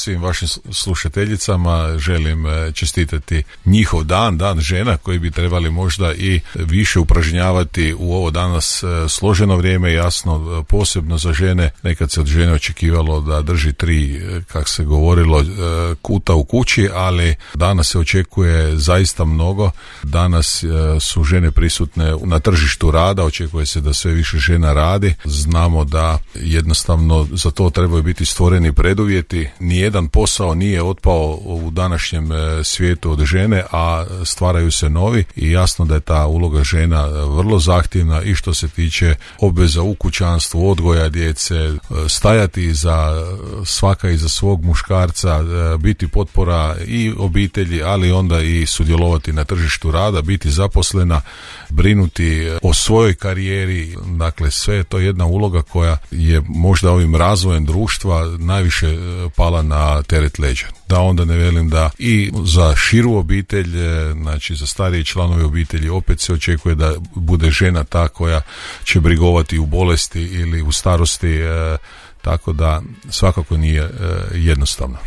svim vašim slušateljicama želim čestitati njihov dan žena, koji bi trebali možda i više upražnjavati u ovo danas složeno vrijeme, jasno posebno za žene. Nekad se od žene očekivalo da drži 3, kako se govorilo, kuta u kući, ali danas se očekuje zaista mnogo. Danas su žene prisutne na tržištu rada, očekuje se da sve više žena radi. Znamo da jednostavno za to trebaju biti stvoreni preduvjeti. Nijedan posao nije otpao u današnjem svijetu od žene, a stvaraju se novi i jasno da je ta uloga žena vrlo zahtjevna i što se tiče obveza u kućanstvu, odgoja djece, stajati svaka iza svog muškarca, biti potpora i obitelji, ali onda i sudjelovati na tržištu rada, biti zaposlena, brinuti o svojoj karijeri. Dakle, sve je to jedna uloga koja je možda ovim razvojem društva najviše pala na teret leđa. Da onda ne velim da i za širu obitelj, znači za starije članove obitelji, opet se očekuje da bude žena ta koja će brigovati u bolesti ili u starosti, tako da svakako nije jednostavno.